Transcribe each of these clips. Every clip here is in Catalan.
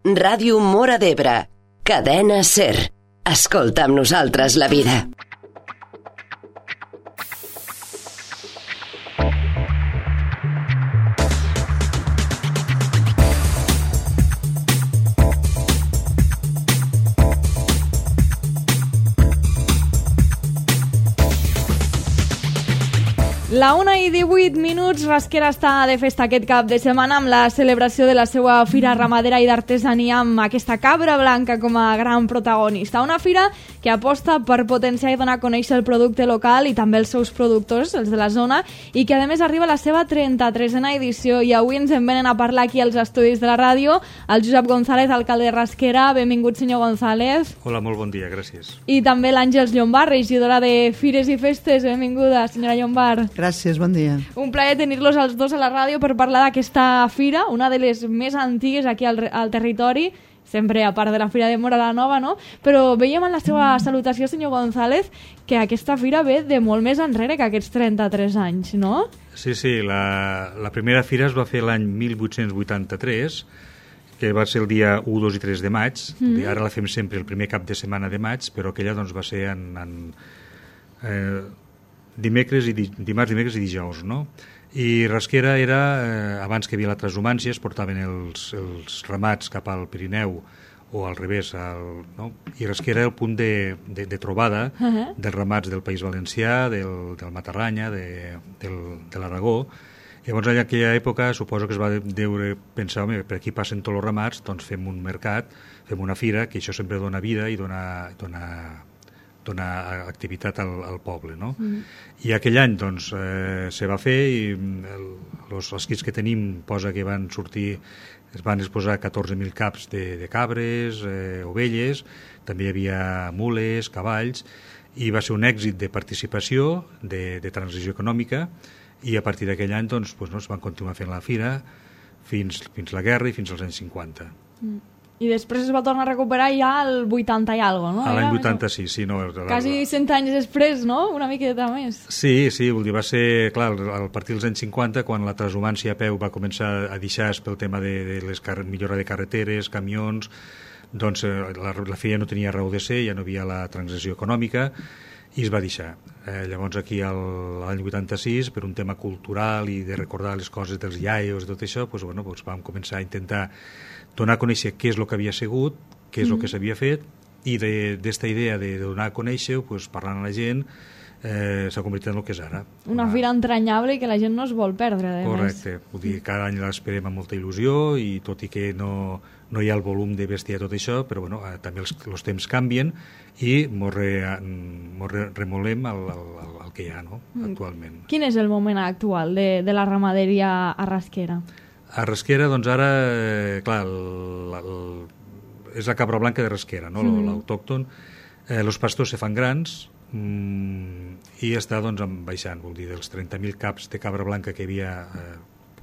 Ràdio Móra d'Ebre, Cadena SER. Escolta amb nosaltres la vida. La 1:18, Rasquera està de festa aquest cap de setmana amb la celebració de la seva fira ramadera i d'artesania amb aquesta cabra blanca com a gran protagonista. Una fira que aposta per potenciar i donar a conèixer el producte local i també els seus productors, els de la zona, i que a més arriba a la seva 33a edició. I avui ens en venen a parlar aquí als estudis de la ràdio el Josep González, alcalde de Rasquera. Benvingut, senyor González. Hola, molt bon dia, gràcies. I també l'Àngels Llombard, regidora de Fires i Festes. Benvinguda, senyora Llombard. Gràcies, bon dia. Un plaer tenir-los els dos a la ràdio per parlar d'aquesta fira, una de les més antigues aquí al territori, sempre a part de la Fira de Móra la Nova, no? Però veiem en la seva salutació, senyor González, que aquesta fira ve de molt més enrere que aquests 33 anys, no? Sí, la primera fira es va fer l'any 1883, que va ser el dia 1, 2 i 3 de maig. Ara la fem sempre el primer cap de setmana de maig, però aquella doncs, va ser dimarts, dimecres i dijous, no? I Rasquera era, abans que hi havia la transhumància, es portaven els ramats cap al Pirineu o al revés, no? I Rasquera era el punt de trobada dels ramats del País Valencià, del Matarranya, de l'Aragó. Llavors, en aquella època, suposo que es va pensar, home, per aquí passen tots els ramats, doncs fem un mercat, fem una fira, que això sempre dona vida i dona activitat al poble, no? I aquell any doncs se va fer i els escrits que tenim posa que es van exposar 14.000 caps de cabres, ovelles, també hi havia mules, cavalls, i va ser un èxit de participació, de transició econòmica, i a partir d'aquell any doncs, es van continuar fent la fira fins la guerra i fins als anys 50. I després es va tornar a recuperar ja al 80 i alguna cosa, no? A l'any 86, sí. No, quasi 100 anys després, no? Una miqueta més. Sí, vol dir, va ser, clar, a partir dels anys 50, quan la transhumància a peu va començar a deixar pel tema de millora de carreteres, camions, doncs la fira no tenia raó de ser, ja no havia la transició econòmica, i es va deixar. Llavors aquí l'any 86, per un tema cultural i de recordar les coses dels iaios i tot això, vam començar a intentar donar a conèixer què és el que havia sigut, què és el que s'havia fet, i d'esta idea de donar a conèixer, parlant a la gent, s'ha convertit en el que és ara. Una fira entranyable i que la gent no es vol perdre, Correcte. Vull dir, cada any l'esperem amb molta il·lusió, i tot i que no hi ha el volum de bestiar tot això, però també els temps canvien i mos remolem el que hi ha, no? Actualment. Quin és el moment actual de la ramaderia a Rasquera? A Rasquera, doncs ara, clar, és la cabra blanca de Rasquera, no? L'autòcton. Els pastors se fan grans i està baixant, vol dir, dels 30.000 caps de cabra blanca que hi havia,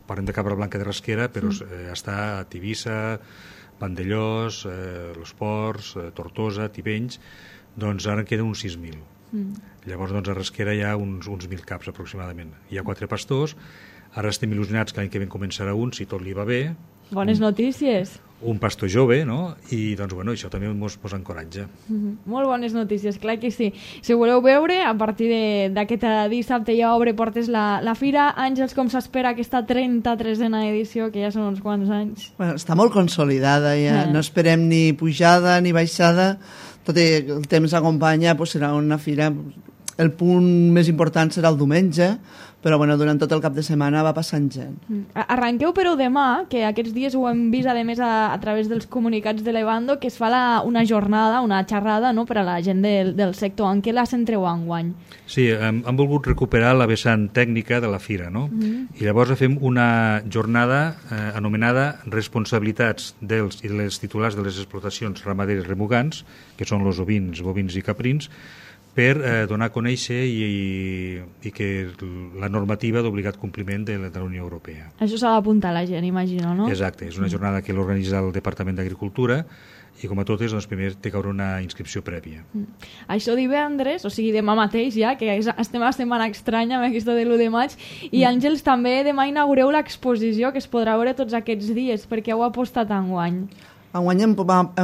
parlem de cabra blanca de Rasquera, però està a Tivissa, Vandellós, Los Ports, Tortosa, Tivenys, doncs ara en queden uns 6.000. Llavors, a Rasquera hi ha uns 1.000 caps aproximadament. Hi ha 4 pastors. Ara estem il·lusionats que l'any que ve començarà un, si tot li va bé. Bones notícies. Un pastor jove, no? I doncs, això també ens posa encoratge. Molt bones notícies, clar que sí. Si voleu veure, a partir d'aquest dissabte ja obre portes la fira. Àngels, com s'espera aquesta 33a edició, que ja són uns quants anys? Bueno, està molt consolidada, ja. No esperem ni pujada ni baixada. Tot el temps acompanya, serà una fira. El punt més important serà el diumenge, però durant tot el cap de setmana va passant gent. Arranqueu, però, demà, que aquests dies ho hem vist, a més, a través dels comunicats de l'Evando, que es fa una jornada, una xerrada, no?, per a la gent del sector. En què la centreu enguany? Sí, hem volgut recuperar la vessant tècnica de la fira, no? I llavors fem una jornada anomenada Responsabilitats dels i les titulars de les explotacions ramaderes remugants, que són els ovins, bovins i caprins, per donar a conèixer i que la normativa d'obligat compliment de la Unió Europea. Això s'ha d'apuntar a la gent, imagino, no? Exacte, és una jornada que l'organitza el Departament d'Agricultura i com a totes, primer té que haver una inscripció prèvia. Això divendres, o sigui demà mateix ja, que estem a setmana estranya amb aquesta de l'1 de maig, i Àngels, també demà inaugureu l'exposició que es podrà veure tots aquests dies, perquè heu apostat enguany. Enguany hem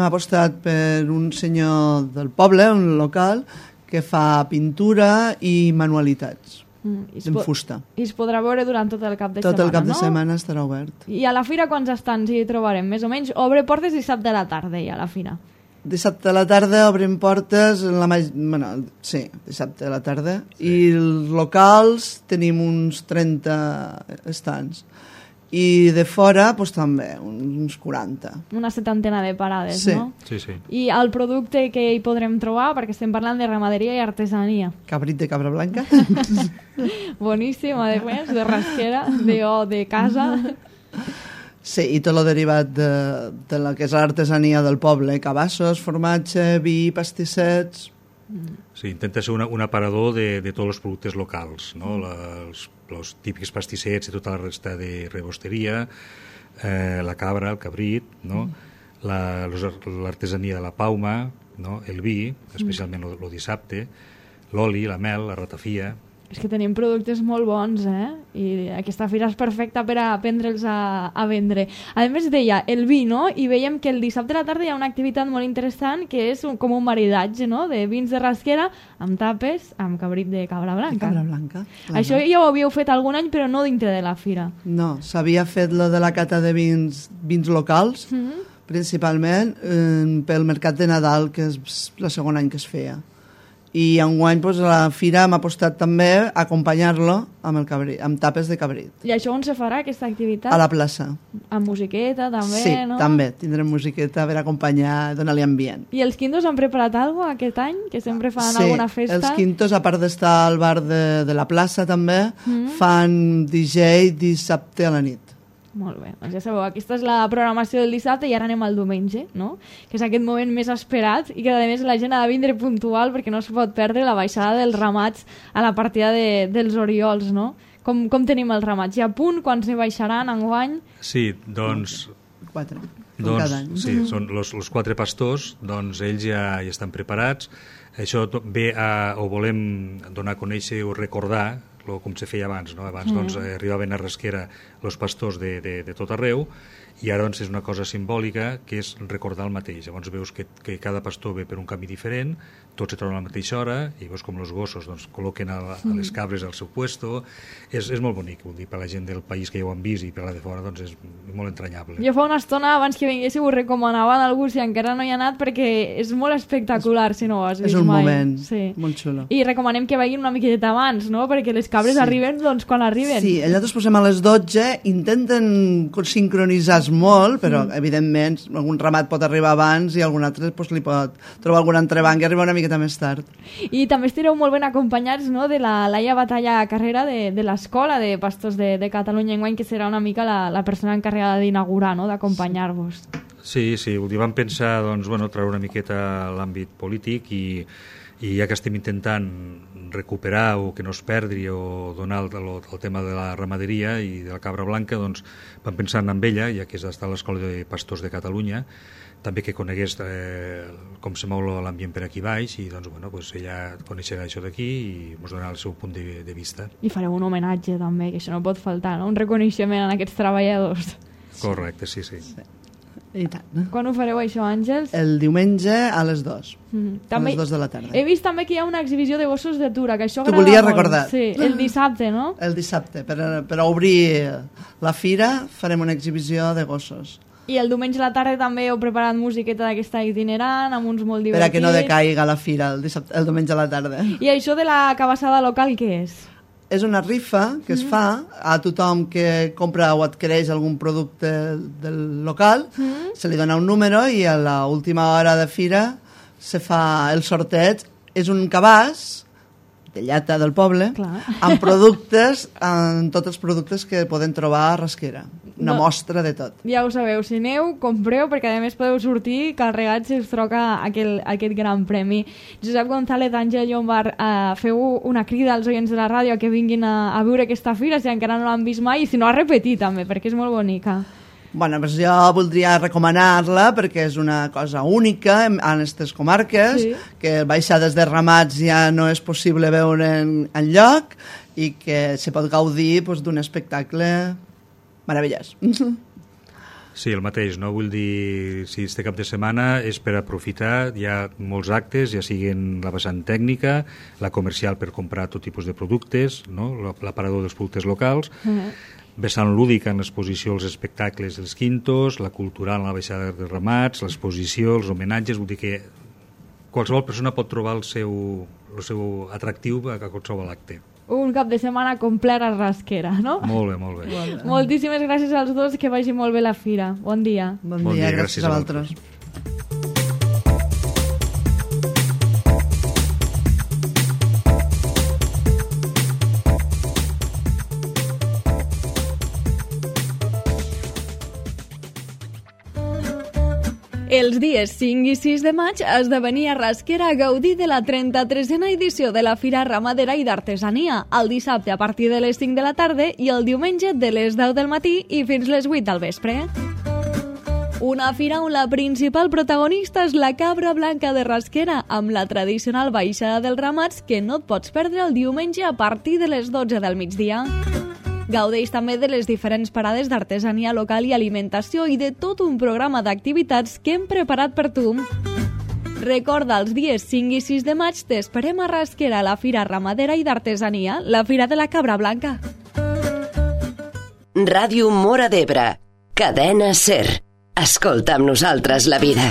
apostat per un senyor del poble, un local, que fa pintura i manualitats en fusta. I es podrà veure durant tot el cap de setmana, Tot el cap de no? setmana estarà obert. I a la fira quants estants hi trobarem? Més o menys, obre portes dissabte a la tarda ja a la fira. Dissabte a la tarda obrim portes, sí, dissabte a la tarda, i els locals tenim uns 30 estants. I de fora, doncs també, uns 40. Una 70 de parades, sí. no? Sí, sí. I el producte que hi podrem trobar, perquè estem parlant de ramaderia i artesania. Cabrit de cabra blanca. Boníssim, a més, de rasquera, de casa. Sí, i tot el derivat de la que és l'artesania del poble, cabassos, formatge, vi, pastissets... Sí, intenta ser un aparador de tots els productes locals, no? Els típics pastissets i tota la resta de rebosteria, la cabra, el cabrit, no? L'artesania de la pauma, no? El vi, especialment el dissabte, l'oli, la mel, la ratafia... És que tenim productes molt bons, I aquesta fira és perfecta per a aprendre'ls a vendre. A més, deia, el vi, no? I veiem que el dissabte a la tarda hi ha una activitat molt interessant que és com un maridatge, no? De vins de rasquera amb tapes, amb cabrit de cabra blanca. De cabra blanca. Això ja ho havíeu fet algun any, però no dintre de la fira. No, s'havia fet lo de la cata de vins locals, principalment pel mercat de Nadal, que és el segon any que es feia. I enguany a la fira hem apostat també a acompanyar-lo amb tapes de cabrit. I això on se farà, aquesta activitat? A la plaça. Amb musiqueta, també, sí, no? Sí, també. Tindrem musiqueta per acompanyar, donar-li ambient. I els quintos han preparat alguna cosa aquest any? Que sempre fan alguna festa? Sí, els quintos, a part d'estar al bar de la plaça també, fan DJ dissabte a la nit. Molt bé, doncs ja sabeu, aquesta és la programació del dissabte i ara anem al diumenge, no? Que és aquest moment més esperat i que a més la gent ha de vindre puntual perquè no es pot perdre la baixada dels ramats a la partida dels Oriols, no? Com tenim els ramats? Hi ha punt? Quants n'hi baixaran enguany? Sí, doncs... 4, cada any. Sí, són els 4 pastors, doncs ells ja estan preparats. Això ve o volem donar a conèixer o recordar com se feia abans, no? Abans doncs, arribaven a Rasquera els pastors de tot arreu i ara doncs, és una cosa simbòlica que és recordar el mateix. Llavors veus que cada pastor ve per un camí diferent, tots se troben a la mateixa hora i veus com els gossos doncs, col·loquen a les cabres al seu puesto. És molt bonic, vull dir, per la gent del país que ja ho han vist i per la de fora doncs, és molt entranyable. Jo fa una estona abans que vinguéssiu ho recomanava a algú si encara no hi ha anat perquè és molt espectacular si no ho has vist mai. És un moment molt xulo. I recomanem que vagin una miqueta abans, no? Perquè les cabres arriben doncs, quan arriben. Sí, nosaltres posem a les 12, intenten sincronitzar molt, però evidentment algun ramat pot arribar abans i algun altre doncs, li pot trobar algun entrebanc i arribar una miqueta més tard. I també estireu molt ben acompanyats, no? De la Laia Batalla Carrera de l'Escola de Pastors de Catalunya enguany, que serà una mica la persona encarregada d'inaugurar, no? D'acompanyar-vos. Sí, vam pensar doncs, treure una miqueta l'àmbit polític i ja que estem intentant recuperar o que no es perdi o donar el tema de la ramaderia i de la cabra blanca, doncs vam pensar en ella, ja que és d'estar a l'Escola de Pastors de Catalunya, també que conegués com se mou l'ambient per aquí baix i doncs, ella coneixerà això d'aquí i ens donarà el seu punt de vista. I fareu un homenatge també, que això no pot faltar, no? Un reconeixement a aquests treballadors. Correcte, sí. I tant. Quan ho fareu això, Àngels? El diumenge a les 2. A les 2 de la tarda. He vist també que hi ha una exhibició de gossos d'atura, que això agrada molt. T'ho volia recordar. Sí, el dissabte, no? El dissabte. Per obrir la fira farem una exhibició de gossos. I el diumenge a la tarda també heu preparat musiqueta d'aquesta itinerant, amb uns molt divertits. Per a que no decaiga la fira el diumenge a la tarda. I això de la cabassada local, què és? És una rifa que es fa a tothom que compra o adquireix algun producte del local, se li dona un número i a l'última hora de fira se fa el sorteig. És un cabàs de llata del poble, amb productes, amb tots els productes que poden trobar a Rasquera. Una mostra de tot. Ja ho sabeu, si aneu, compreu, perquè a més podeu sortir carregats si us troca aquest gran premi. Josep González, Àngel Llombart, feu una crida als oients de la ràdio que vinguin a veure aquesta fira, si encara no l'han vist mai, i si no a repetir també, perquè és molt bonica. Bueno, doncs jo voldria recomanar-la perquè és una cosa única en aquestes comarques, que baixades de ramats ja no és possible veure enlloc i que se pot gaudir d'un espectacle meravellós. Sí, el mateix, no? Vull dir, si este cap de setmana és per aprofitar, hi ha molts actes, ja siguin la vessant tècnica, la comercial per comprar tot tipus de productes, no? L'aparador dels productes locals, vessant lúdica en l'exposició, els espectacles dels quintos, la cultural en la baixada de ramats, l'exposició, els homenatges, vull dir que qualsevol persona pot trobar el seu atractiu a qualsevol acte. Un cap de setmana complet a Rasquera, no? Molt bé, molt bé. Moltíssimes gràcies als dos, que vagi molt bé la fira. Bon dia. Bon dia, gràcies a vosaltres. Els dies 5 i 6 de maig esdevenia Rasquera a gaudir de la 33a edició de la Fira Ramadera i d'Artesania, el dissabte a partir de les 5 de la tarda i el diumenge de les 10 del matí i fins les 8 del vespre. Una fira on la principal protagonista és la cabra blanca de Rasquera, amb la tradicional baixada dels ramats que no et pots perdre el diumenge a partir de les 12 del migdia. Gaudeix també de les diferents parades d'artesania local i alimentació i de tot un programa d'activitats que hem preparat per tu. Recorda, els dies 5 i 6 de maig t'esperem a Rasquera a la Fira Ramadera i d'Artesania, la Fira de la Cabra Blanca. Ràdio Móra d'Ebre, Cadena SER. Escolta amb nosaltres la vida.